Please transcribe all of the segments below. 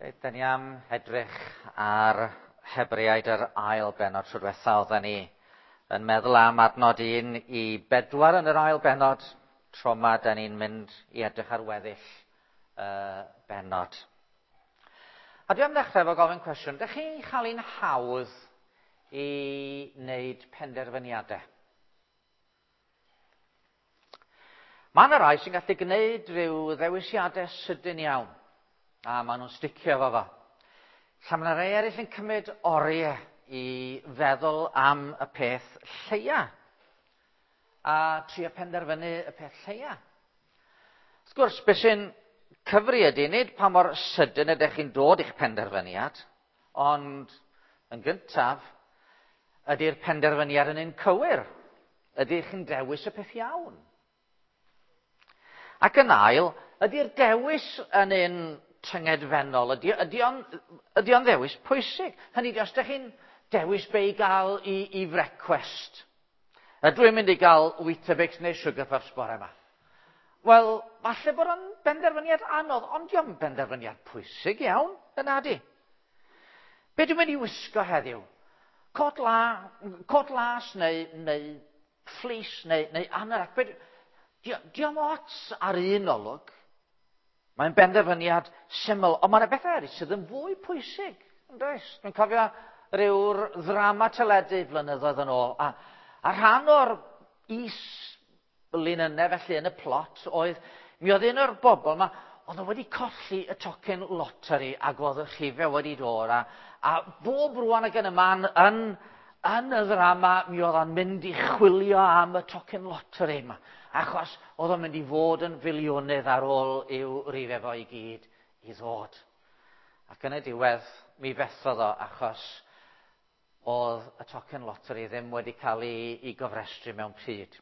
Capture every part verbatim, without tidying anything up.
Da ni am edrych ar Hebreaid yr ail bennod. Tro diwetha oedden ni yn meddwl am adnod un i bedwar yn yr ail bennod. Tro yma da ni'n mynd i edrych ar weddill y bennod. A dwi am ddechrau efo gofyn cwestiwn. Dych chi'n cael un hawdd i wneud penderfyniadau? Mae yna rai sy'n gallu gwneud rhyw ddewisiadau sydyn iawn, a maen nhw'n sticio efo fo. Lla mae yna rai eraill yn cymryd oriau i feddwl am y peth lleia, a trio penderfynu y peth lleia. Wrth gwrs, beth sy'n cyfri ydy, nid pa mor sydyn ydych chi'n dod i'ch penderfyniad, ond yn gyntaf, ydy'r penderfyniad yn un cywir? Ydych chi'n dewis y peth iawn? Ac yn ail, ydy'r dewis yn un tyngedfennol? Ydy, ydy o'n, ydy o'n ddewis pwysig? Hynny ydy, os ydych chi'n dewis be i gael i, i frecwest, ydw i'n mynd i gael Weetabix neu Sugar Puffs bore yma? Wel, falle bod o'n benderfyniad anodd, ond dio'm benderfyniad pwysig iawn, yna di. Be dwi'n mynd i wisgo heddiw? Cot, la, cot las neu, neu fleece neu, neu anorak? Be, dio'm ots ar un olwg. Mae'n benderfyniad syml, ond mae yna bethau eraill sydd yn fwy pwysig, yn does? Dwi'n cofio rhyw'r ddrama teledu flynyddoedd yn ôl, a, a rhan o'r is-linynau felly yn y plot oedd, mi oedd un o'r bobl yma, oedd o wedi colli y tocyn loteri ac oedd y rhifau wedi dod, a, a bob rwan ac yn y man yn, yn y ddrama, mi oedd o'n mynd i chwilio am y tocyn loteri yma, achos oedd o'n mynd i fod yn filiwnydd ar ôl i'w rifau fo i gyd i ddod. Ac yn y diwedd, mi fethodd o, achos oedd y tocyn loteri ddim wedi cael ei, ei gofrestru mewn pryd.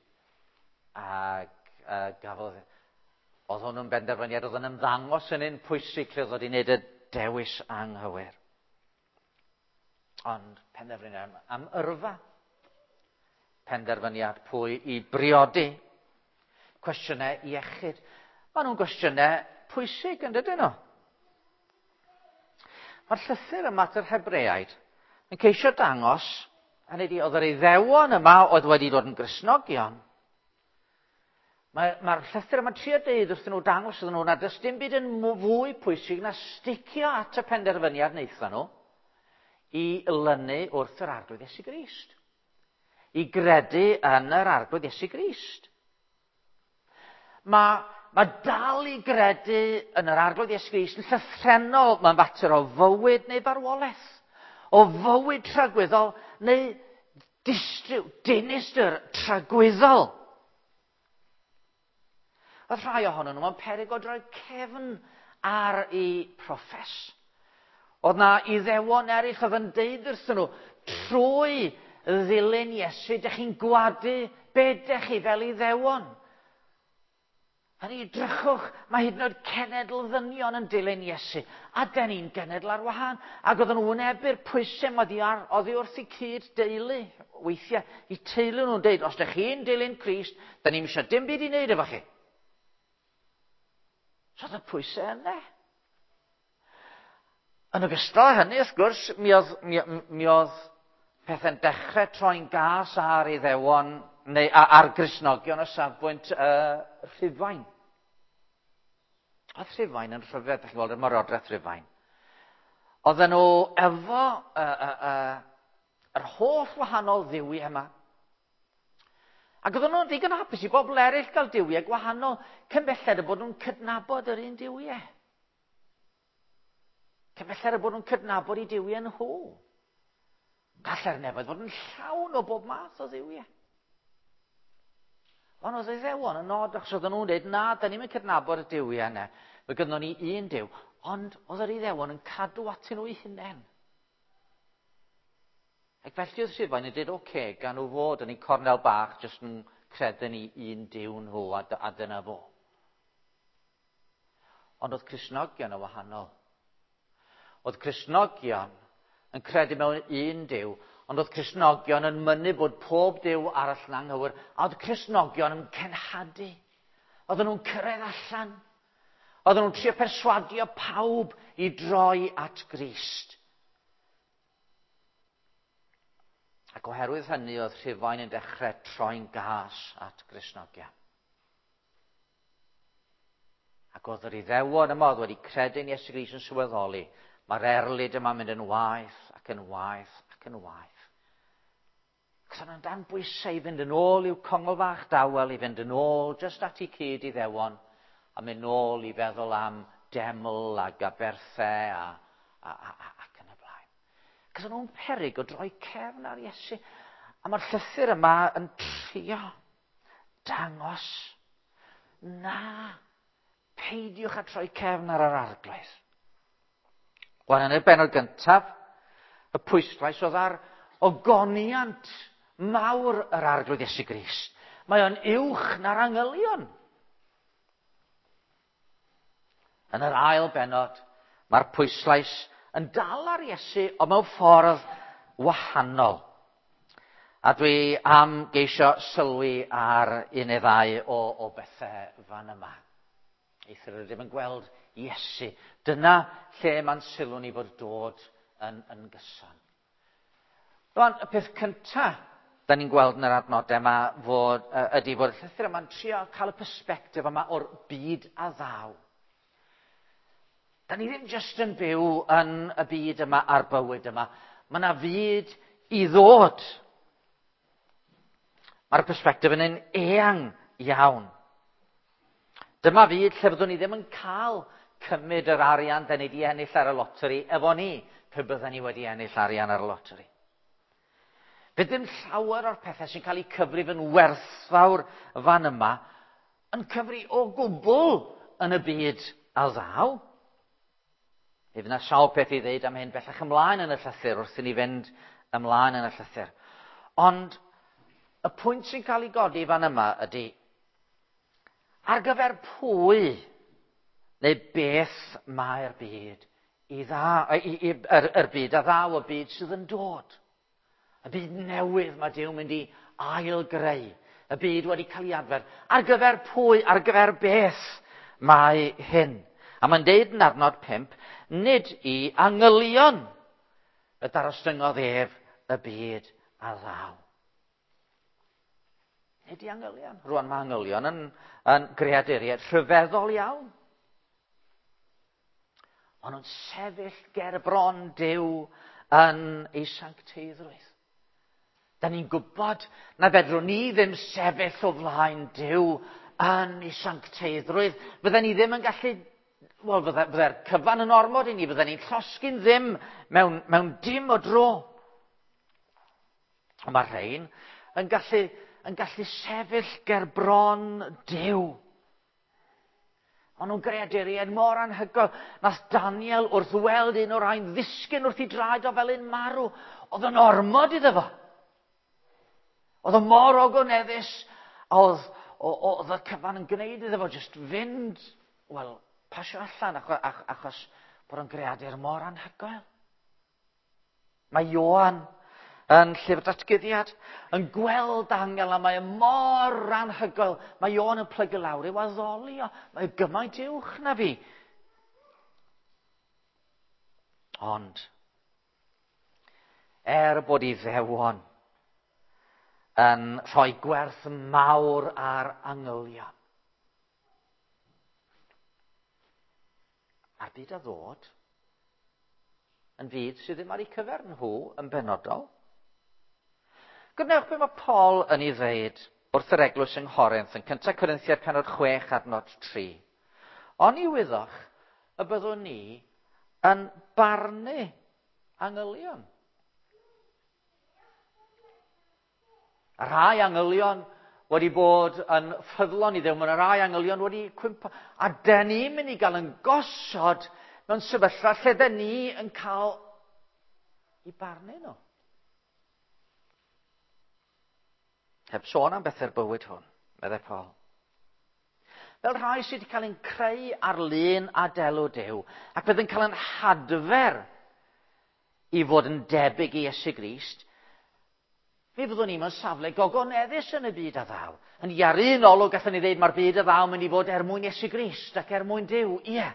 Ac uh, gafodd, oedd hwnnw'n benderfyniad oedd yn ymddangos yn un pwysig lle oedd wedi wneud y dewis anghywir. Ond penderfyniad am, am yrfa, penderfyniad pwy i briodi, cwestiynau iechyd. Maen nhw'n gwestiynau pwysig, yn dydyn nhw? Mae'r llythyr yma at yr Hebreaid yn ceisio dangos, hynny ydi, oedd yr Iddewon yma oedd wedi dod yn Gristnogion. Mae'r mae llythyr yma'n trio deud wrthyn nhw, dangos iddyn nhw, nad oes dim byd yn fwy pwysig na sticio at y penderfyniad wnaethon nhw i lynu wrth yr Arglwydd Iesu Grist. I gredu yn yr Arglwydd Iesu Grist. Mae, mae dal i gredu yn yr Arglwydd Iesu Grist yn llythrennol. Mae'n fater o fywyd neu farwolaeth, o fywyd tragwyddol neu distryw, dinistr tragwyddol. Oedd rhai ohonyn nhw mewn peryg o droi cefn ar eu proffes. Oedd na Iddewon eraill oedd yn deud wrthyn nhw, trwy ddilyn Iesu, dych chi'n gwadu be dych chi fel Iddewon. Hynny, drychwch, mae hyd yn oed cenedl ddynion yn dilyn Iesu, a dyn ni'n genedl ar wahân. Ac oedden nhw wynebu'r pwysau oddi, ar, oddi wrth eu cyd deulu. Weithiau, eu teulu nhw'n deud, os dych chi'n dilyn Crist, dyn ni'm eisiau dim byd i wneud efo chi. So oedd y pwysau yna. Yn ogystal â hynny, wrth gwrs, mi oedd, mi, mi oedd pethau'n dechrau troi'n gas ar Iddewon neu ar Gristnogion o safbwynt uh, Rhufain. Oedd Rhufain yn rhyfedd, ydych chi'n gweld, y Ymerodraeth Rhufain. Oedden nhw efo uh, uh, uh, yr holl wahanol dduwiau yma. Ac oedden nhw'n ddigon hapus i bobl eraill gael duwiau gwahanol, cyn belled y bod nhw'n cydnabod yr un duwiau. Cyn belled y bod nhw'n cydnabod eu duwiau nhw. Gallai'r nefoedd fod yn llawn o bob math o dduwiau. Ond oedd Iddewon yn nod, achos oedden nhw'n dweud, na, da ni'n cydnabod y duwiau yna. Fe gynnon ni un duw. Ond oedd yr Iddewon yn cadw atyn nhw eu hunain. Ac felly oedd Rhufain yn dweud, oce, okay, gan nhw fod yn eu cornel bach, jyst yn credu ni un duw nhw, a, a dyna fo. Ond oedd Cristnogion yn wahanol. Oedd Cristnogion yn credu mewn un duw, ond oedd Cristnogion yn mynnu bod pob duw arall yn anghywir, a oedd Cristnogion yn cenhadu. Oedden nhw'n cyrraedd allan. Oedden nhw'n trio perswadio pawb i droi at Grist. Ac oherwydd hynny oedd Rhufain yn dechrau troi'n gas at Gristnogion. Ac oedd yr Iddewon yma oedd wedi credu'n Iesu Grist yn sylweddoli, mae'r erlid yma'n mynd yn waeth ac yn waeth ac yn waeth. Ac oedd nhw'n dan bwysau i fynd yn ôl i'w congl fach dawel, i fynd yn ôl jyst at eu cyd Iddewon, a mynd nôl i feddwl am deml ag aberthau a, a, a, a, ac yn y blaen. Cos o'n nhw'n peryg o droi cefn ar Iesu. A mae'r llythyr yma yn trio dangos, na, peidiwch â troi cefn ar yr Arglwydd. Wel, yn y bennod gyntaf, y pwyslais oedd ar ogoniant mawr yr Arglwydd Iesu Grist. Mae o'n uwch na'r angylion. Yn yr ail bennod, mae'r pwyslais yn dal ar Iesu, ond mewn ffordd wahanol. A dwi am geisio sylwi ar un neu ddau o, o bethau fan yma. Eithr rydym yn gweld Iesu. Dyna lle mae'n sylw ni fod dod yn, yn gyson. Rwan, y peth cyntaf da ni'n gweld yn yr adnodau yma fod, ydy fod y llythyr yma'n trio cael y persbectif yma o'r byd a ddaw. Da ni ddim jyst yn byw yn y byd yma a'r bywyd yma. Mae yna fyd i ddod. Mae'r persbectif yn un eang iawn. Dyma fyd lle fyddwn ni ddim yn cael cymryd yr arian da ni wedi ennill ar y loteri efo ni, pe bydden ni wedi ennill arian ar y loteri. Fydd ddim llawer o'r pethau sy'n cael eu cyfrif yn werthfawr fan yma yn cyfri o gwbl yn y byd a ddaw. Mi fydd yna sawl peth i ddeud am hyn bellach ymlaen yn y llythyr, wrth i ni fynd ymlaen yn y llythyr. Ond y pwynt sy'n cael ei godi fan yma ydy, ar gyfer pwy neu beth mae'r byd i dda, i, i, yr, yr byd a ddaw, y byd sydd yn dod. Y byd newydd mae Duw mynd i ail-greu. Y byd wedi cael ei adfer. Ar gyfer pwy, ar gyfer beth mae hyn? A mae'n deud yn adnod pump, nid i angylion y darostyngodd ef y byd a ddaw. Nid i angylion. Rwan mae angylion yn, yn greaduriaid rhyfeddol iawn. Maen nhw'n sefyll ger bron Duw yn ei sancteiddrwydd. Da ni'n gwybod na fedrwn ni ddim sefyll o flaen Duw yn ei sancteiddrwydd. Fydden ni ddim yn gallu, wel, fydde, fydde'r cyfan yn ormod i ni, fydden ni'n llosgi'n ddim mewn, mewn dim o dro. Ond mae rhain yn gallu, yn gallu sefyll ger bron Duw. Ond nhw'n greaduriaid mor anhygoel. Nath Daniel wrth weld un o'r rhain ddisgyn wrth ei draed o fel un marw. Oedd yn ormod iddo fo. Oedd o mor ogoneddus, oedd, oedd y cyfan yn gwneud iddo fo jyst fynd, wel, pasio allan achos, achos bod o'n greadur mor anhygoel. Mae Ioan yn llyfr datguddiad yn gweld angel a mae o mor anhygoel. Mae Ioan yn plygu lawr i'w addoli o. Mae o gymaint uwch na fi. Ond, er bod Iddewon yn rhoi gwerth mawr ar angylion, a'r byd a ddod yn fyd sydd ddim ar eu cyfer nhw yn benodol. Gwnewch be mae Paul yn ei ddeud wrth yr eglwys yng Nghorinth yn cyntaf Corinthiaid penod chwech adnod tri. Oni wyddoch y byddwn ni yn barnu angylion. A rhai angylion wedi bod yn ffyddlon i Dduw, mae yna rai angylion wedi cwympo. A dyn ni'n mynd i gael yn gosod mewn sefyllfa lle dyn ni yn cael i barnu nhw. Heb sôn am bethau'r bywyd hwn, meddai Paul. Fel rhai sydd wedi cael ein creu ar lun a delw Duw, ac fydd yn cael ein hadfer i fod yn debyg i Iesu Grist, Mi fyddwn ni mewn safle gogoneddus yn y byd a ddaw. Yn ar un olwg gallwn ni ddeud mae'r byd a ddaw mynd i fod er mwyn Iesu Grist ac er mwyn Duw, ie.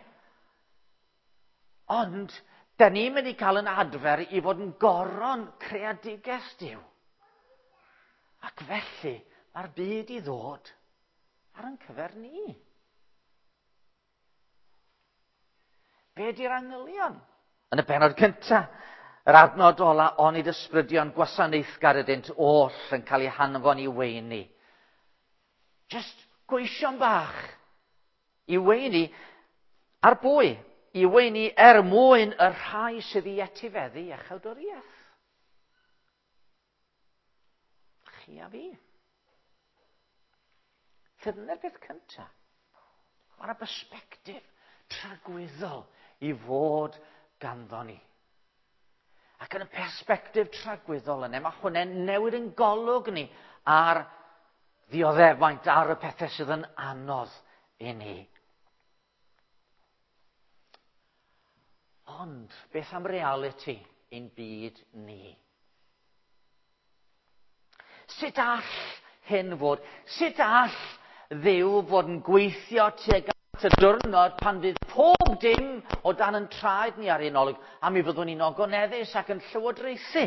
Ond, da ni'n mynd i cael yn adfer i fod yn goron creadigaeth Duw. Ac felly, mae'r byd i ddod ar ein cyfer ni. Be di'r angylion? Yn y bennod cyntaf, yr adnod ola, onid ysbrydion gwasanaethgar ydynt oll yn cael eu hanfon i weini. Just gweision bach i weini ar bwy? I weini er mwyn y rhai sydd i etifeddu iachawdwriaeth. Chi a fi. Dyna'r peth cyntaf. Mae yna bersbectif tragwyddol i fod ganddo ni. Ac yn y persbectif tragwyddol yna, mae hwnna'n newid yn golwg ni ar ddioddefaint, ar y pethau sydd yn anodd i ni. Ond, beth am realiti ein byd ni? Sut all hyn fod? Sut all Dduw fod yn gweithio tuag at y diwrnod pan fydd pob dim o dan yn traed ni ar un olwg, a mi fyddwn ni'n ogoneddus ac yn llywodraethu?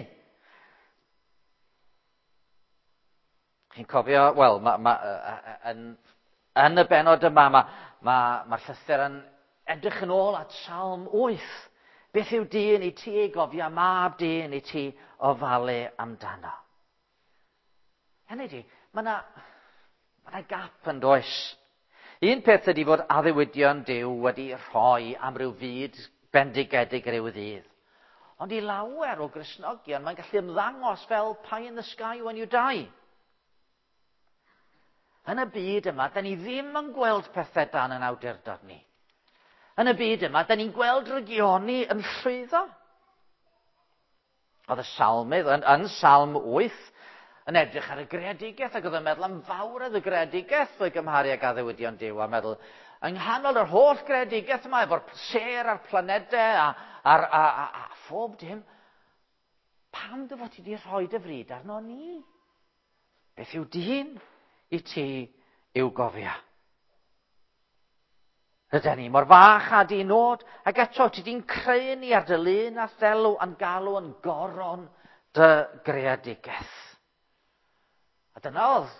Chi'n cofio, wel, ma, ma, yn, yn y bennod yma, mae'r ma, ma llythyr yn edrych yn ôl at Salm wyth. Beth yw dyn i ti ei gofio, mab dyn i ti ofalu amdano? Hynny ydi, mae yna ma 'na gap yn does. Un peth ydy fod addewidion Duw wedi rhoi am ryw fyd bendigedig ryw ddydd. Ond i lawer o Gristnogion, mae'n gallu ymddangos fel pie in the sky when you die. Yn y byd yma, da ni ddim yn gweld pethau dan yn awdurdod ni. Yn y byd yma, da ni'n gweld rygioni yn llwyddo. Oedd y salmydd yn, yn Salm wyth yn edrych ar y greadigaeth ac oedd yn meddwl am fawredd y greadigaeth o'i gymharu ag addewidion Duw a meddwl, yng nghanol yr holl greadigaeth yma efo'r sêr a'r planedau a, a, a, a, a phob dim, pam dy fod ti wedi rhoi dy fryd arno ni? Beth yw dyn i ti i'w gofio? Rydyn ni mor fach a di nod, ac eto ti di'n creu ni ar dy lun a ddelw a'n galw yn goron dy greadigaeth. A dyna oedd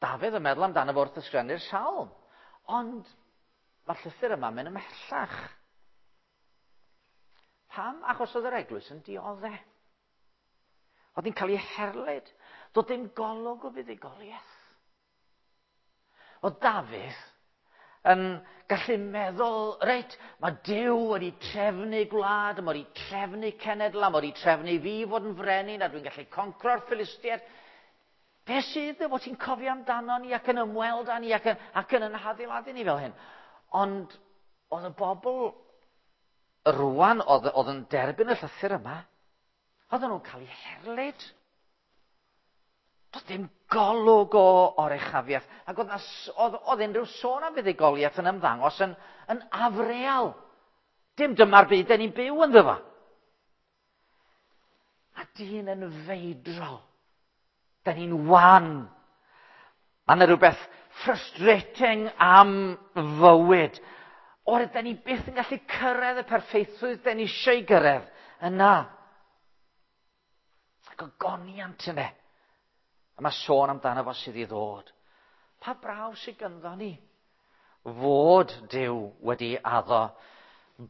Dafydd yn meddwl amdano fo wrth ysgrifennu'r salm. Ond mae'r llythyr yma'n mynd ymhellach. Pam? Achos oedd yr eglwys yn dioddef. Oedd hi'n cael ei herlid. Doedd dim golwg o fuddugoliaeth. Oedd Dafydd yn gallu meddwl, reit, mae Duw wedi trefnu gwlad, mae wedi trefnu cenedl, a mae wedi trefnu fi fod yn frenin, a dwi'n gallu concro'r Philistiaid. Be sydd dy fod ti'n cofio amdano ni ac yn ymweld â ni ac yn, ac yn yn hadeiladu ni fel hyn? Ond oedd y bobl rwan oedd, oedd yn derbyn y llythyr yma, oedden nhw'n cael eu herlid. Doedd dim golwg o oruchafiaeth. Ac oedd, oedd, oedd unrhyw sôn am fuddugoliaeth yn ymddangos yn, yn afreal. Dim dyma'r byd den ni'n byw ynddo fo. A dyn yn feidrol. Da ni'n wan. Mae yna rhywbeth frustrating am fywyd. Oherwydd, da ni byth yn gallu cyrraedd y perffeithrwydd da ni eisiau gyrraedd yna. Ac ogoniant yna. A mae sôn amdano fo sydd i ddod. Pa brawf sydd ganddo ni? Fod Duw wedi addo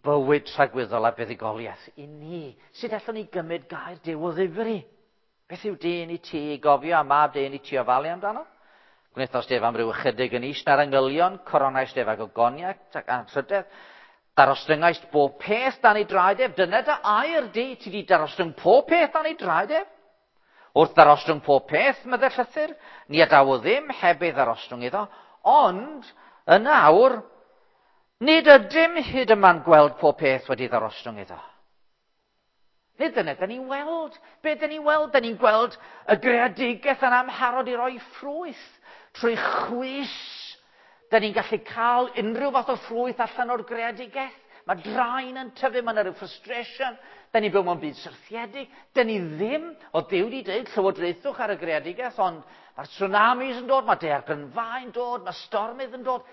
bywyd tragwyddol a buddugoliaeth i ni. Sut allwn ni gymryd gair Duw o ddifri? Beth yw dyn i ti i gofio a mab dyn i ti ofalu amdano? Gwnaethos def am ryw ychydig yn is na'r angylion, coronais def ag ogoniaeth ac anrhydedd. Darostyngaist bob peth dan ei draed ef. Dyna dy air di, ti di darostynг pob peth dan ei draed ef. Wrth ddarostwng pob peth, medde llythyr, ni adawodd ddim heb ei ddarostwng iddo. Ond, yn awr, nid ydym hyd yma'n gweld pob peth wedi ddarostwng iddo. Nid dyna, da ni'n weld. Be da ni'n weld? Da ni'n gweld y greadigaeth yn amharod i roi ffrwyth trwy chwys. Da ni'n gallu cael unrhyw fath o ffrwyth allan o'r greadigaeth. Mae draen yn tyfu, mae yna rhyw frustration. Da ni'n byw mewn byd syrthiedig. Da ni ddim, o Duw wedi dweud, llywodraethwch ar y greadigaeth, ond mae'r tsunamis yn dod, mae daeargrynfâu yn dod, mae stormydd yn dod,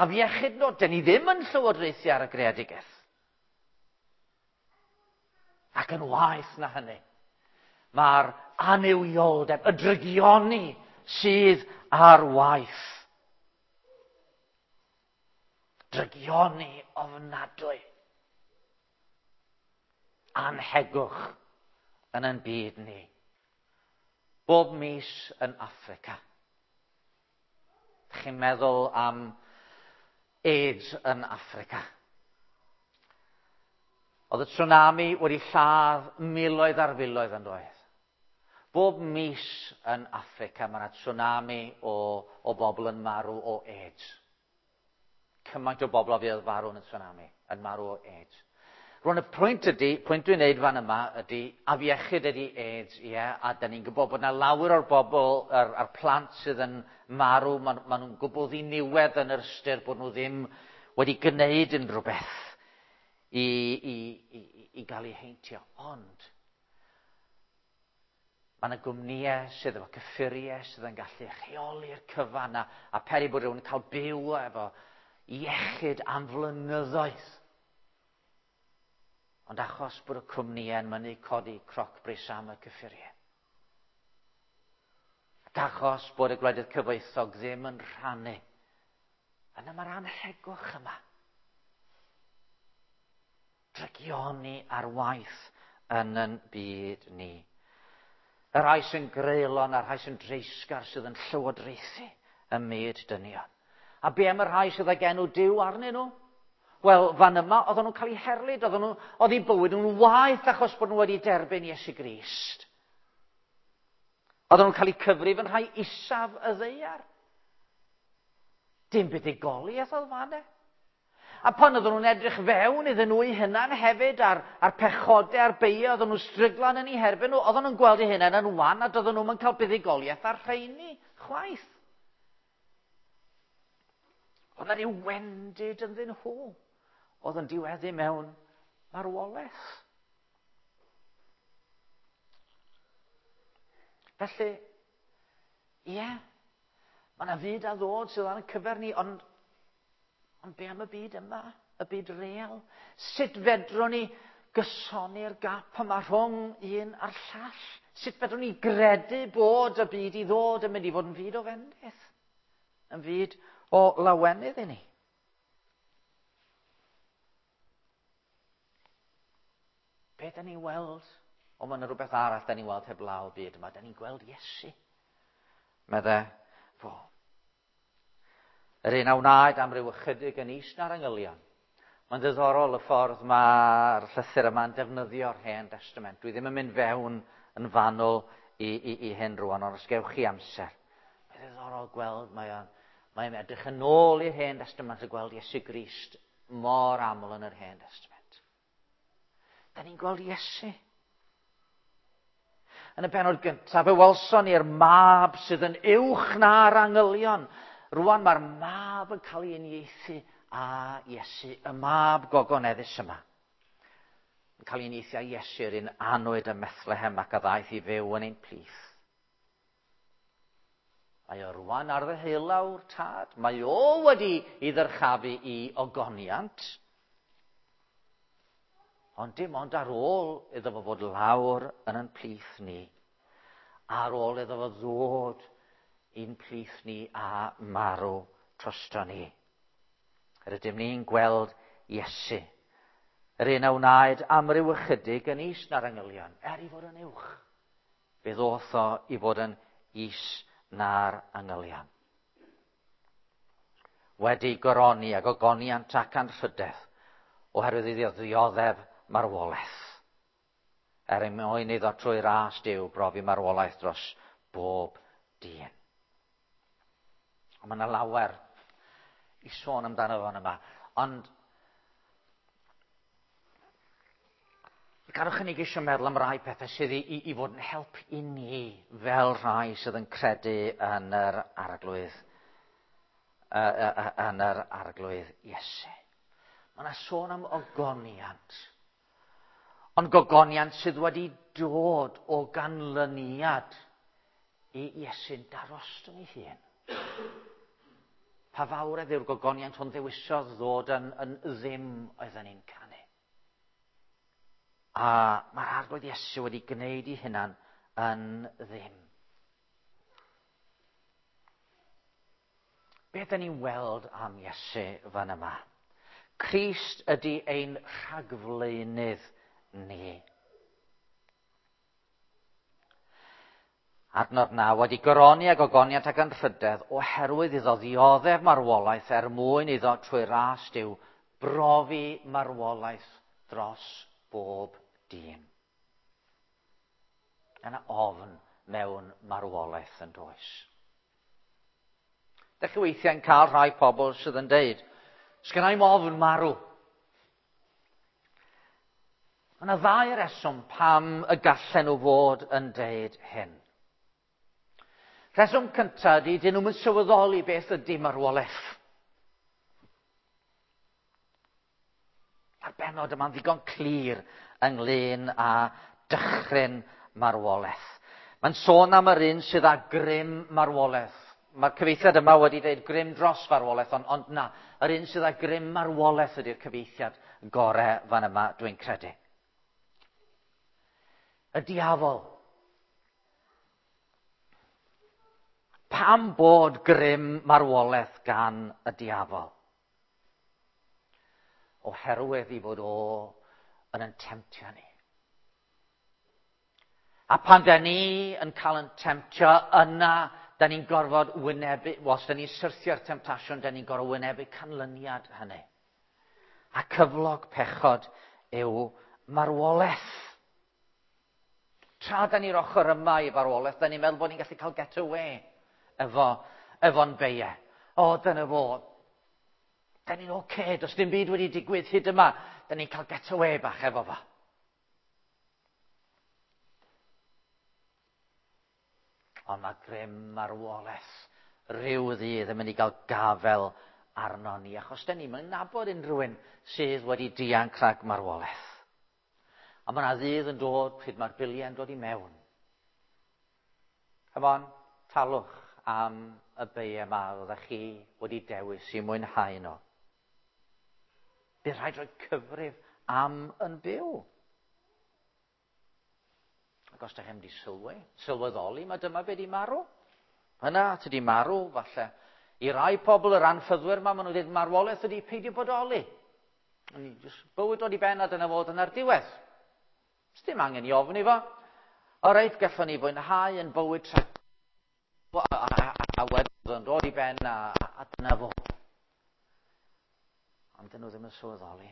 afiechyd yn dod. Da ni ddim yn llywodraethu ar y greadigaeth. Ac yn waeth na hynny, mae'r annuwioldeb, y drygioni sydd ar waith. Drygioni ofnadwy. Anhegwch yn ein byd ni. Bob mis yn Affrica. Chi'n meddwl am AIDS yn Affrica. Oedd y tsunami wedi lladd miloedd ar filoedd yn doedd. Bob mis yn Affrica mae yna tsunami o, o bobl yn marw o AIDS. Cymaint o bobl a fuodd farw yn y tsunami, yn marw o AIDS. Rwan y pwynt ydy, pwynt dwi'n neud fan yma ydy, afiechyd ydy AIDS, ie, yeah, a da ni'n gwybod bod yna lawer o'r bobl, a'r, a'r plant sydd yn marw, maen ma nhw'n gwbl ddiniwed yn yr ystyr bod nhw ddim wedi gwneud unrhyw beth i, i, i, i gael eu heintio. Ond, mae yna gwmnïau sydd efo cyffuriau sydd yn gallu rheoli'r cyfan a, a peri bod rhywun yn cael byw efo iechyd am flynyddoedd. Ond achos bod y cwmnïau'n mynnu codi crocbris am y cyffuriau. Ac achos bod y gwledydd cyfoethog ddim yn rhannu. Yna mae'r anhegwch yma. Drygioni ar waith yn yn byd ni. Y rhai sy'n greulon a'r rhai sy'n dreisgar sydd yn llywodraethu ym myd dynion. A be am y rhai sydd ag enw Duw arnyn nhw? Wel, fan yma, oedden nhw'n cael eu herlid, oedden nhw, oedd eu bywyd nhw'n waeth achos bod nhw wedi derbyn Iesu Grist. Oedden nhw'n cael eu cyfrif yn rhai isaf y ddaear. Dim buddugoliaeth oedd fan e. A pan oedden nhw'n edrych fewn iddyn nhw eu hunain hefyd, a'r, a'r pechodau a'r beiau oedden nhw'n stryglan yn eu herbyn nhw, oedden nhw'n gweld eu hunain yn wan a doedden nhw'n cael buddugoliaeth ar rheini chwaith. Oedd yna ryw wendid ynddyn nhw oedd yn diweddu mewn marwolaeth. Felly, ie, yeah, mae yna fyd a ddod sydd ar ein cyfer ni, ond, ond be am y byd yma, y byd real? Sut fedrwn ni gysoni'r gap yma rhwng un a'r llall? Sut fedrwn ni gredu bod y byd i ddod yn mynd i fod yn fyd o fendith? Yn fyd o lawenydd i ni? Be da ni'n weld? O, mae yna rhywbeth arall da ni'n weld heblaw y byd yma. Da ni'n gweld Iesu. Medde fo. Yr un a wnaed am ryw ychydig yn is na'r angylion. Mae'n ddiddorol y ffordd mae'r llythyr yma'n defnyddio'r Hen Testament. Dwi ddim yn mynd fewn yn fanwl i, i, i hyn rwan, ond os gewch chi amser. Mae'n ddiddorol gweld, mae o'n mae'n edrych yn ôl i'r Hen Testament a gweld Iesu Grist mor aml yn yr Hen Testament. Da ni'n gweld Iesu. Yn y bennod gyntaf, fe welson ni'r mab sydd yn uwch na'r angylion. Rwan mae'r mab yn cael ei uniaethu â Iesu, y mab gogoneddus yma. Yn cael ei uniaethu â Iesu, yr un anwyd ym Methlehem ac a ddaeth i fyw yn ein plith. Mae o rwan ar ddeheulaw'r tad. Mae o wedi ei ddyrchafu i ogoniant. Ond dim ond ar ôl iddo fo fod lawr yn ein plith ni. Ar ôl iddo fo ddod i'n plith ni a marw drosto ni. Rydym ni'n gweld Iesu. Yr un a wnaed am ryw ychydig yn is na'r angylion, er i fod yn uwch. Fe ddoth o i fod yn is na'r angylion. Wedi goroni ac ogoniant ac anrhydedd, oherwydd iddo ddioddef marwolaeth. Er mwyn iddo trwy ras Duw brofi marwolaeth dros bob dyn. Ond mae yna lawer i sôn amdano fan yma. Ond gadwch i ni geisio meddwl am rai pethau sydd i, i, i fod yn help i ni fel rhai sydd yn credu yn yr Arglwydd, uh, uh, uh, yn yr Arglwydd Iesu. Mae yna sôn am ogoniant. Ond gogoniant sydd wedi dod o ganlyniad i Iesu'n darostwng ei hun. Pa fawredd yw'r gogoniant hwn ddewisodd ddod yn, yn ddim oedden ni'n canu. A mae'r Arglwydd Iesu wedi gwneud ei hunan yn ddim. Beth ydyn ni'n weld am Iesu fan yma? Crist ydy ein rhagflaenydd ni. Adnod naw, wedi goroni ag ogoniant ac anrhydedd oherwydd iddo ddioddef marwolaeth er mwyn iddo trwy ras Duw brofi marwolaeth dros bob dyn. Yna ofn mewn marwolaeth yn does. Dych chi weithiau'n cael rhai pobl sydd yn deud, sgynna i'm ofn marw. Mae yna ddau reswm pam y gallen nhw fod yn deud hyn. Rheswm cyntaf ydy, dyn nhw'n sylweddoli beth ydy marwolaeth. A'r bennod yma'n ddigon clir ynglyn â dychryn marwolaeth. Mae'n sôn am yr un sydd â grym marwolaeth. Mae'r cyfieithiad yma wedi dweud grym dros farwolaeth, ond, ond na, yr un sydd â grym marwolaeth ydy'r cyfieithiad gorau fan yma, dwi'n credu. Y diafol. Pam bod grym marwolaeth gan y diafol? Oherwydd i fod o yn yn temtio ni. A pan da ni yn cael yn temtio, yna da ni'n gorfod wynebu, os da ni'n syrthio'r temtasiwn, da ni'n gorfod wynebu canlyniad hynny. A cyflog pechod yw marwolaeth. Tra da ni'r ochr yma i farwolaeth, da ni'n meddwl bod ni'n gallu cael get away efo, efo'n beie. O, dyna fo. Da ni'n oce, okay, does dim byd wedi digwydd hyd yma. Da ni'n cael get away bach efo fo. Ond mae grym marwolaeth rhyw ddydd yn mynd i gael gafel arno ni, achos da ni'n nabod unrhyw un sydd wedi dianc rhag marwolaeth. A mae yna ddydd yn dod pryd mae'r biliau'n dod i mewn. Come on, talwch am y beie yma oeddech chi wedi dewis i mwynhau nhw. Bydd rhaid rhoi cyfrif am yn byw. Ac os ydych chi'n mynd i sylwi, sylweddoli, mae dyma be di marw. Yna, ti di marw, falle. I rai pobl, yr anffyddwyr yma, maen nhw'n dweud marwolaeth ydi peidio bodoli. Just bywyd dod i ben a dyna fod yna'r diwedd. Dim angen i ofn i fo. O reit, gallwn ni fwynhau yn bywyd tra... A, a, a, a wedyn yn dod i ben a, a dyna fo. Ond dyn nhw ddim yn sylweddoli.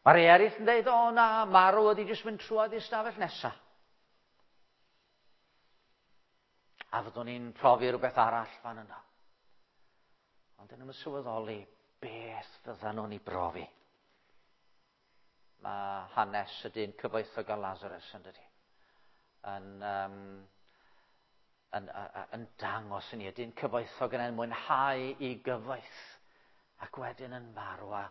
Mae rhai eraill yn dweud, o na, marw ydi jyst mynd trwodd i'r stafell nesaf. A fyddwn ni'n profi rhywbeth arall fan yna. Ond dyn nhw'n sylweddoli beth fyddan nhw'n ei brofi. Mae hanes y dyn cyfoethog a Lazarus yn dydi. Yn, um, yn, yn, yn dangos i ni, y dyn cyfoethog yn mwynhau i gyfoeth ac wedyn yn marw a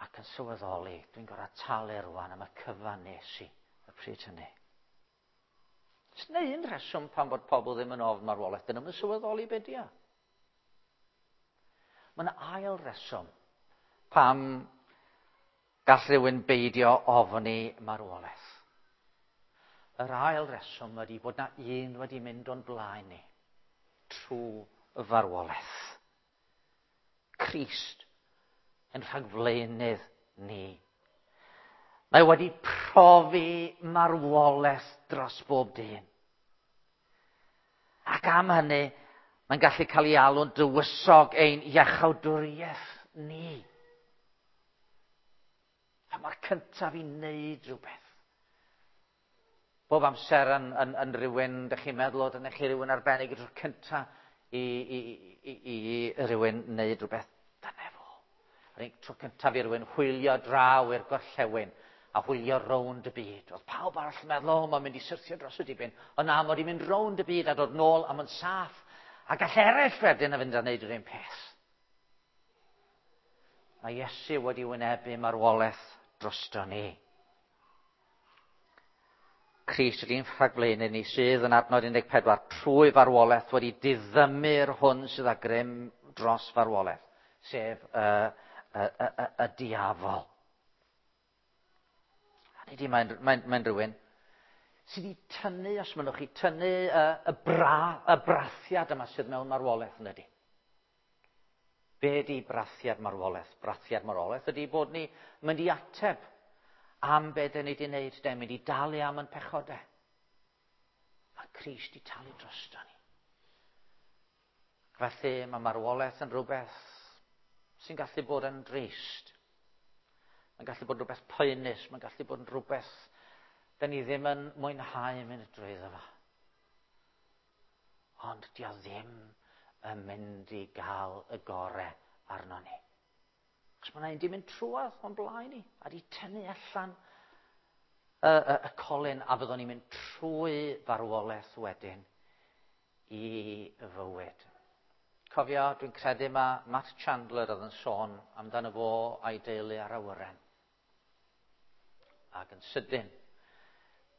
ac yn sylweddoli, dwi'n gorfod talu rwan am y cyfan nes i y pryd hynny. Oes 'na un rheswm pam bod pobl ddim yn ofn marwolaeth, dyn nhw'n sylweddoli be di o. Mae yna ail reswm pam gall rhywun beidio ofni marwolaeth. Yr ail reswm ydy bod na un wedi mynd o'n blaen ni trwy farwolaeth. Crist yn rhagflaenydd ni. Mae wedi profi marwolaeth dros bob dyn. Ac am hynny, mae'n gallu cael ei alw'n dywysog ein iachawdwriaeth ni. A mae'r cyntaf i wneud rhywbeth. Bob amser yn, yn, yn rhywun, dych chi'n meddwl, o, dyna chi rhywun arbennig, y tro cyntaf i, i, i, i, i rhywun wneud rhywbeth. Dyna fo. Yr tro cyntaf i rhywun hwylio draw i'r gorllewin a hwylio rownd y byd. Oedd pawb arall yn meddwl, o, mae'n mynd i syrthio dros y dibyn. Ond na, mae wedi mynd rownd y byd a dod nôl a mae'n saff. A gall eraill wedyn a fynd a wneud yr un peth. Mae Iesu wedi wynebu marwolaeth drosto ni. Crist ydy'n rhagflaenydd ni sydd yn adnod un deg pedwar trwy farwolaeth wedi diddymu'r hwn sydd â grym dros farwolaeth, sef y, y, y, y, y diafol. Hynny ydi, mae'n mae, mae rhywun sydd wedi tynnu, os mynnwch chi, tynnu y, y, bra, y brathiad yma sydd mewn marwolaeth, yn ydy. Be ydy brathiad marwolaeth? Brathiad marwolaeth ydy bod ni mynd i ateb am be dyn ni wedi wneud, de, mynd i dalu am yn pechodau. Mae Crist wedi talu drosto ni. Felly mae marwolaeth yn rhywbeth sy'n gallu bod yn drist. Mae'n gallu bod yn rhywbeth poenus, mae'n gallu bod yn rhywbeth dyn ni ddim yn mwynhau mynd drwyddo fo. Ond di o ddim yn mynd i gael y gore arno ni. Achos mae yna un di mynd trwodd o'n blaen ni, a di tynnu allan y, y, y colyn, a fyddwn ni'n mynd trwy farwolaeth wedyn i fywyd. Cofio, dwi'n credu mae Matt Chandler oedd yn sôn amdano fo a'i deulu ar awyren. Ac yn sydyn,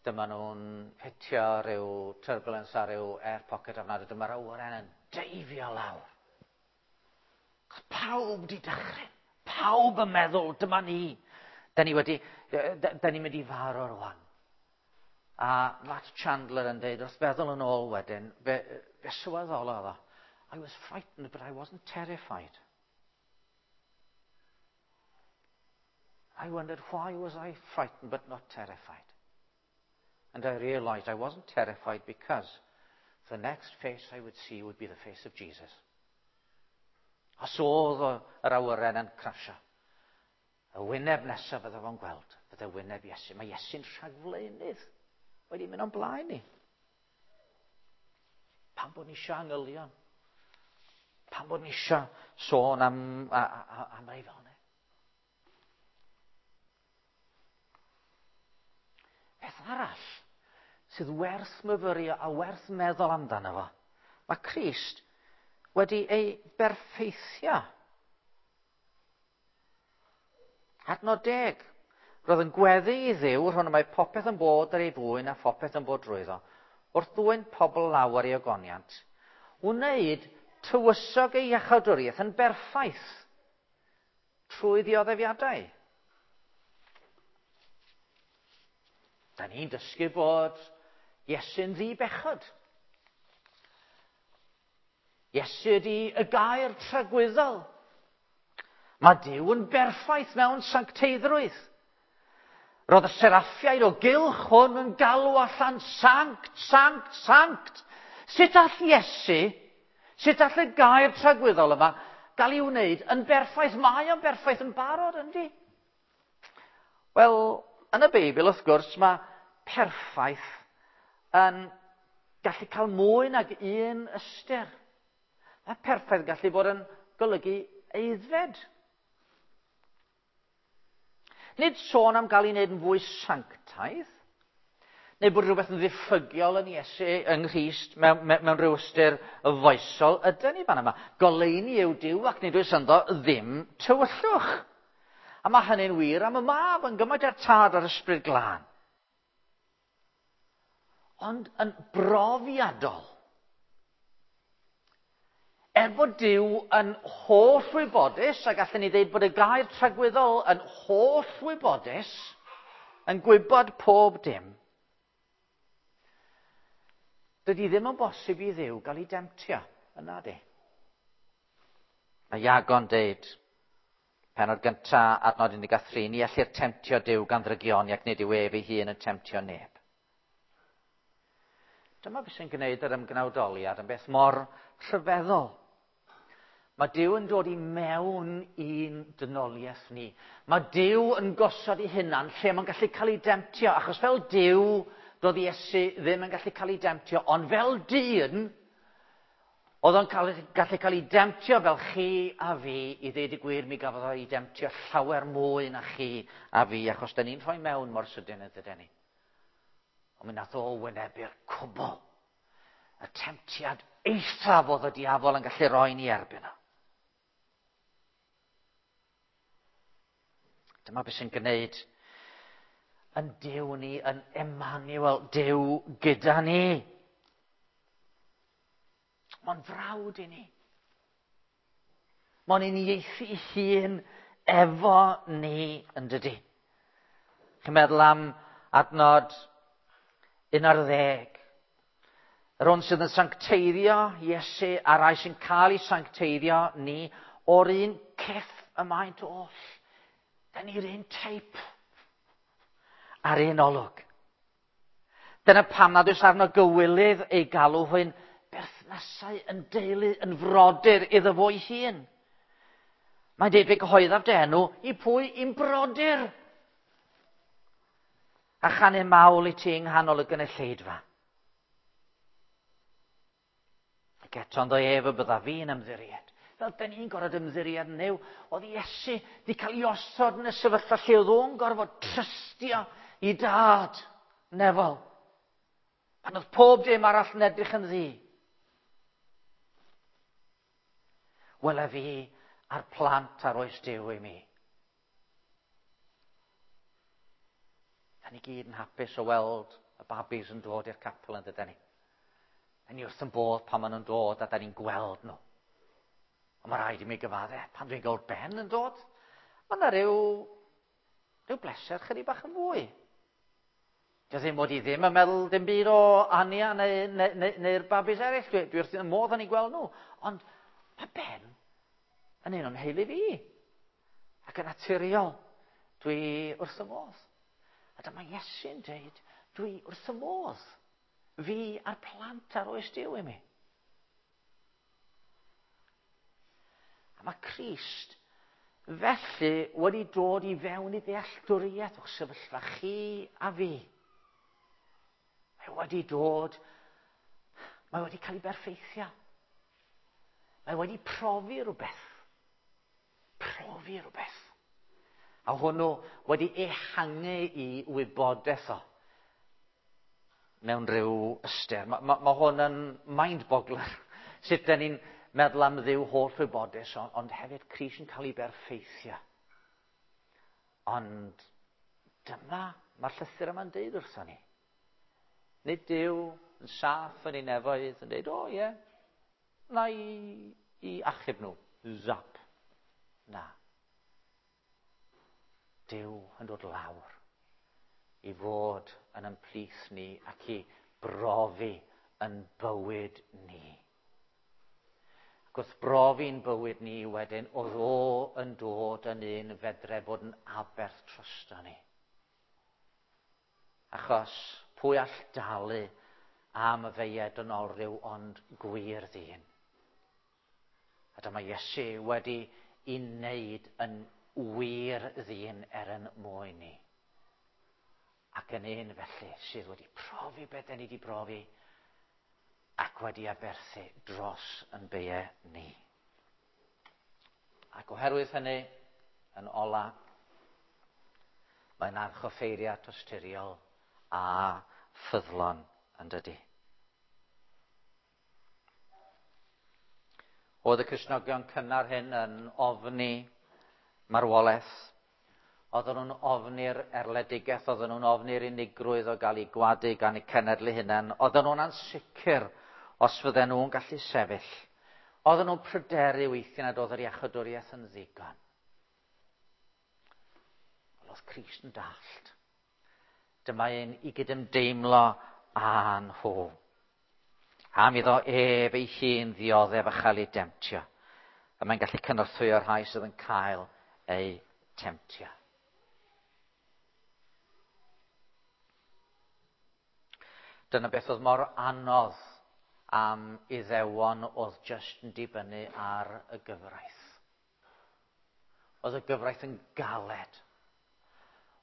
dyma nhw'n hitio rhyw turbulence ar ryw air pocket ofnadwy, dyma'r awyren yn deifio lawr. Pawb di dychryn. Pawb yn meddwl, dyma ni. Da ni wedi, da ni'n mynd i farw rwan. A Matt Chandler yn dweud, wrth feddwl yn ôl wedyn, fe, fe sylweddolodd o, I was frightened, but I wasn't terrified. I wondered, why was I frightened but not terrified? And I realised I wasn't terrified because the next face I would see would be the face of Jesus. Os oedd yr awyren yn crasio, y wyneb nesaf fydde fo'n gweld, fydde wyneb Iesu. Mae Iesu'n rhagflaenydd wedi mynd o'n blaen ni. Pam bod ni eisiau angylion? Pam bod ni eisiau sôn am, a, a, am rei fel yna? Beth arall sydd werth myfyrio a werth meddwl amdano fo? Mae Crist wedi ei berffeithio. Adnod deg. Roedd yn gweddi i Dduw, rhwng y mae popeth yn bod ar ei fwyn a phopeth yn bod drwyddo, wrth ddwyn pobl lawer i ogoniant, wneud tywysog ei iachawdwriaeth yn berffaith trwy ddioddefiadau. Da ni'n dysgu bod Iesu'n ddi-bechod. Iesu ydi y gair tragwyddol. Mae Duw yn berffaith mewn sancteiddrwydd. Roedd y seraffiaid o gylch hwn yn galw allan sanct, sanct, sanct. Sut all Iesu, sut all y gair tragwyddol yma gael ei wneud yn berffaith? Mae o'n berffaith yn barod, yndi? Wel, yn y Beibl, wrth gwrs, mae perffaith yn gallu cael mwy nag un ystyr. Mae perffaith yn gallu bod yn golygu aeddfed. Nid sôn am gael ei wneud yn fwy sanctaidd, neu bod rhywbeth yn ddiffygiol yn Iesu, yng Nghrist, mewn, mewn rhyw ystyr foesol, ydyn ni fan yma. Goleuni yw Duw ac nid oes ynddo ddim tywyllwch. A mae hynny'n wir am y mab yn gymaint â'r tad a'r ysbryd glân. Ond yn brofiadol, er bod Duw yn holl wybodus, a gallwn ni ddeud bod y gair tragwyddol yn holl wybodus, yn gwybod pob dim, dydy ddim yn bosib i Dduw gael ei demtio, yna di. Mae Iago'n deud, pennod gynta, adnod un deg tri, ni ellir temtio Duw gan ddrygioni ac nid yw ef ei hun yn temtio neb. Dyma beth sy'n gwneud yr ymgnawdoliad yn beth mor rhyfeddol. Mae Duw yn dod i mewn i'n dynoliaeth ni. Mae Duw yn gosod ei hunan lle mae'n gallu cael ei demtio, achos fel Duw, doedd Iesu ddim yn gallu cael ei demtio, ond fel dyn, oedd o'n cael, gallu cael ei demtio fel chi a fi, i ddeud y gwir, mi gafodd o'i demtio llawer mwy na chi a fi, achos da ni'n rhoi mewn mor sydyn yn dydyn ni. Ond mi nath o wynebu'r cwbl. Y temtiad eithaf oedd y diafol yn gallu roi ni erbyn o. Dyma beth sy'n gwneud Yn Duw ni, yn Emmanuel, Duw gyda ni. Mae'n frawd i ni. Mae'n uniaethu hun efo ni, yn dydi. Chi'n meddwl am adnod un ar ddeg. Yr hwn sydd yn sancteiddio Iesu a'r rai sy'n cael ei sancteiddio ni o'r un cyff y maent oll. Da ni'r un teip a'r un olwg. Dyna pam nad oes arno gywilydd ei galw hwy'n berthnasau, yn deulu, yn frodyr iddo fo'i hun. Mae'n deud, fe gyhoeddaf dy enw i pwy? I'n brodyr. A chanu mawl i ti yng nghanol y gynulleidfa. Ac eto ynddo ef y bydda fi'n ymddiried. Fel da ni'n gorfod ymddiried yn Nuw, oedd Iesu wedi cael ei osod yn y sefyllfa lle oedd o'n gorfod trystio i dad nefol. Pan oedd pob dim arall yn edrych yn ddu. Wele fi a'r plant ar oes Duw i mi. Da ni gyd yn hapus o weld y babis yn dod i'r capel, yn dydyn ni. Da ni wrth yn bodd pan maen nhw'n dod a da ni'n gweld nhw. Ond mae rhaid i mi gyfadde, pan dwi'n gweld Ben yn dod, mae yna rhyw, rhyw bleser chydig bach yn fwy. Dio ddim mod i ddim yn meddwl dim byd o Ania neu, neu, neu, neu'r babis eraill. Dwi, dwi wrth y modd yn ei gweld nhw. Ond mae Ben yn un o'n heulu fi. Ac yn naturiol, dwi wrth y modd. A dyma Iesu'n dweud, dwi wrth y modd. Fi a'r plant ar oes Duw i mi. A mae Crist felly wedi dod i fewn i ddealltwriaeth o'ch sefyllfa chi a fi. Mae wedi dod, mae wedi cael ei berffeithio. Mae wedi profi rhywbeth. Profi rhywbeth. A hwnnw wedi ehangu i wybodaeth o mewn rhyw ystyr. Mae, ma, ma hwn yn mind-boggler. Sut da ni'n meddwl am Dduw holl wybodus, ond, ond hefyd Crist yn cael ei berffeithio. Ond dyma, mae'r llythyr yma'n deud wrthon ni. Nid Duw yn saff yn ei nefoedd yn deud, o ie, yeah, na i, i achub nhw. Zap. Na. Duw yn dod lawr i fod yn ymplith ni ac i brofi yn bywyd ni. Ac wrth brofi'n bywyd ni wedyn, oedd o yn dod yn un fedre bod yn aberth drosto ni. Achos pwy all dalu am y feied yn olryw ond gwir ddyn. A dyma Iesu wedi i wneud yn wir ddyn er yn mwyn ni. Ac yn un felly sydd wedi profi beth ni wedi profi ac wedi aberthu dros yn beiau ni. Ac oherwydd hynny, yn ola, mae'n archoffeiriad tosturiol a ffyddlon, yn dydy. Oedd y Cristnogion cynnar hyn yn ofni marwolaeth. Oedden nhw'n ofni'r erledigaeth, oedden nhw'n ofni'r unigrwydd o gael eu gwadu gan eu cenedl eu hunain. Oedden nhw'n ansicr os fydden nhw'n gallu sefyll. Oedden nhw'n pryderu weithiau nad oedd yr iachawdwriaeth yn ddigon. Wel, oedd Crist yn dallt. Dyma un i gydymdeimlo â nhw. Am iddo ef ei hun ddioddef a chael ei demtio. A mae'n gallu cynorthwyo'r rhai sydd yn cael eu temtio. Dyna beth oedd mor anodd am Iddewon oedd jyst yn dibynnu ar y gyfraith. Oedd y gyfraith yn galed.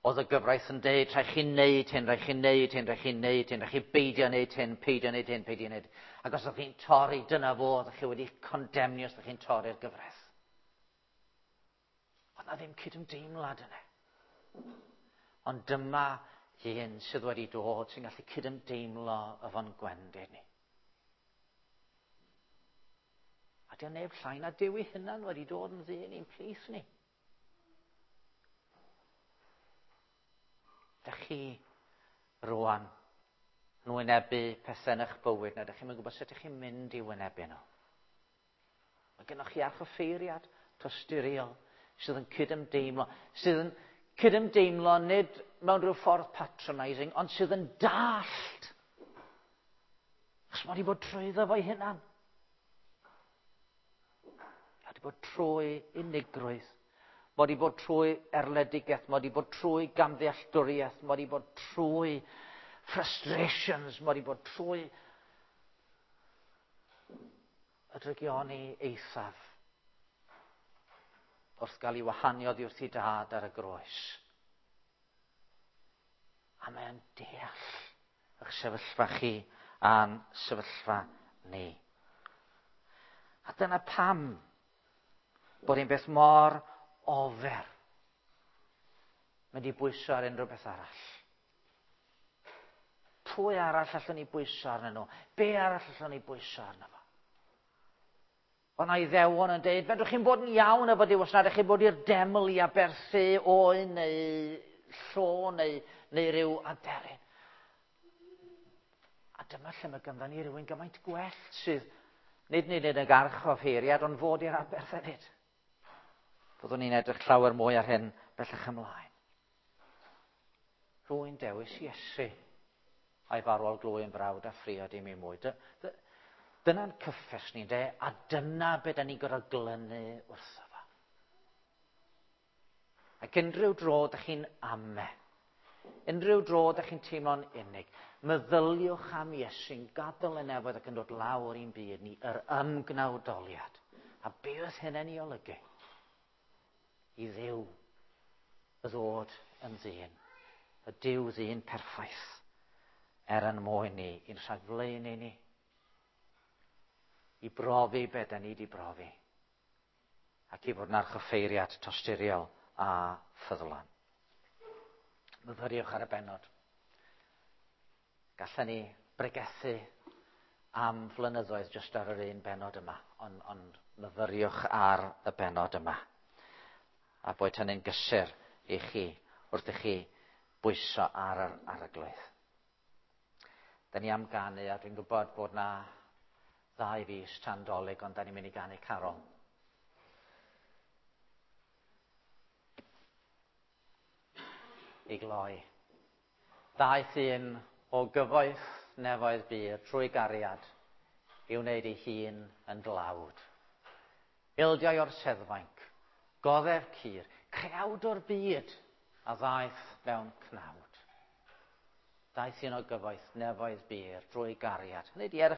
Oedd y gyfraith yn deud, rhaid chi wneud hyn, rhaid chi wneud hyn, rhaid chi wneud hyn, rhaid chi beidio wneud hyn, peidio wneud hyn, peidio wneud. Ac os ydych chi'n torri, dyna fo, ydych chi wedi condemnio os ydych chi'n torri'r gyfraith. Oedd na ddim cydymdeimlad yna. Ond dyma un sydd wedi dod sy'n gallu cydymdeimlo efo'n gwendid ni. A dio neb llai na Duw ei hunan wedi dod yn ddyn i'n plith ni. Ydych chi rwan yn wynebu pethau yn eich bywyd, na ydych chi'n gwybod sut ydych chi'n mynd i wynebu nhw. Mae gennych chi archoffeiriad tosturiol sydd yn cydymdeimlo, sydd yn cydymdeimlo nid mewn rhyw ffordd patronising, ond sydd yn dallt. Achos mae wedi bod trwyddo fo'i hunan. Mae wedi bod trwy unigrwydd. Mae wedi bod trwy erledigaeth, mae wedi bod trwy gamddealltwriaeth, mae wedi bod trwy frustrations, mae wedi bod trwy y drygioni eithaf wrth gael ei wahanu oddi wrth ei dad ar y groes. A mae'n deall eich sefyllfa chi a'n sefyllfa ni. A dyna pam bod un beth mor ofer mynd i bwyso ar unrhyw beth arall. Pwy arall allwn ni bwyso arnyn nhw? Be arall allwn ni bwyso arno fo? Oedd 'na Iddewon yn deud, fedrwch chi'n bod yn iawn efo Duw os nad ydych chi'n bod i'r deml i aberthu oen neu llo neu, neu ryw aderyn. A dyma lle mae ganddo ni rywun gymaint gwell sydd nid nid yn y archoffeiriad, ond fod i'r aberth hefyd. Byddwn ni'n edrych llawer mwy ar hyn bellach ymlaen. Rwy'n dewis Iesu a'i farwol glwy yn frawd a phriod i mi mwy. Dyna'n cyffes ni, de, a dyna be da ni'n gorfod glynu wrtho fo. Ac unrhyw dro da chi'n ame, unrhyw dro da chi'n teimlo'n unig, meddyliwch am Iesu'n gadael y nefoedd ac yn dod lawr i'n byd ni, yr ymgnawdoliad. A be oedd hynny'n ei olygu? I Dduw ddod yn ddyn, y Duw ddyn perffaith, er yn mwyn ni, i'n rhagflaenu ni, i brofi be da ni wedi brofi, ac i fod yn archoffeiriad tosturiol a ffyddlon. Myfyriwch ar y bennod. Gallen ni bregethu am flynyddoedd jyst ar yr un bennod yma, ond, ond myfyriwch ar y bennod yma. A boed hynny'n gysur i chi wrth i chi bwyso ar yr Arglwydd. Da ni am ganu, a dwi'n gwybod bod na ddau fis tan Dolig, ond da ni'n mynd i ganu carol. I gloi. Ddaeth un o gyfoeth nefoedd bur trwy gariad i wneud ei hun yn dlawd. Ildiau o'r seddfainc, goddef cur, creawd o'r byd a ddaeth mewn cnawd. Daeth un o gyfoeth nefoedd bur drwy gariad. Hynny ydi, er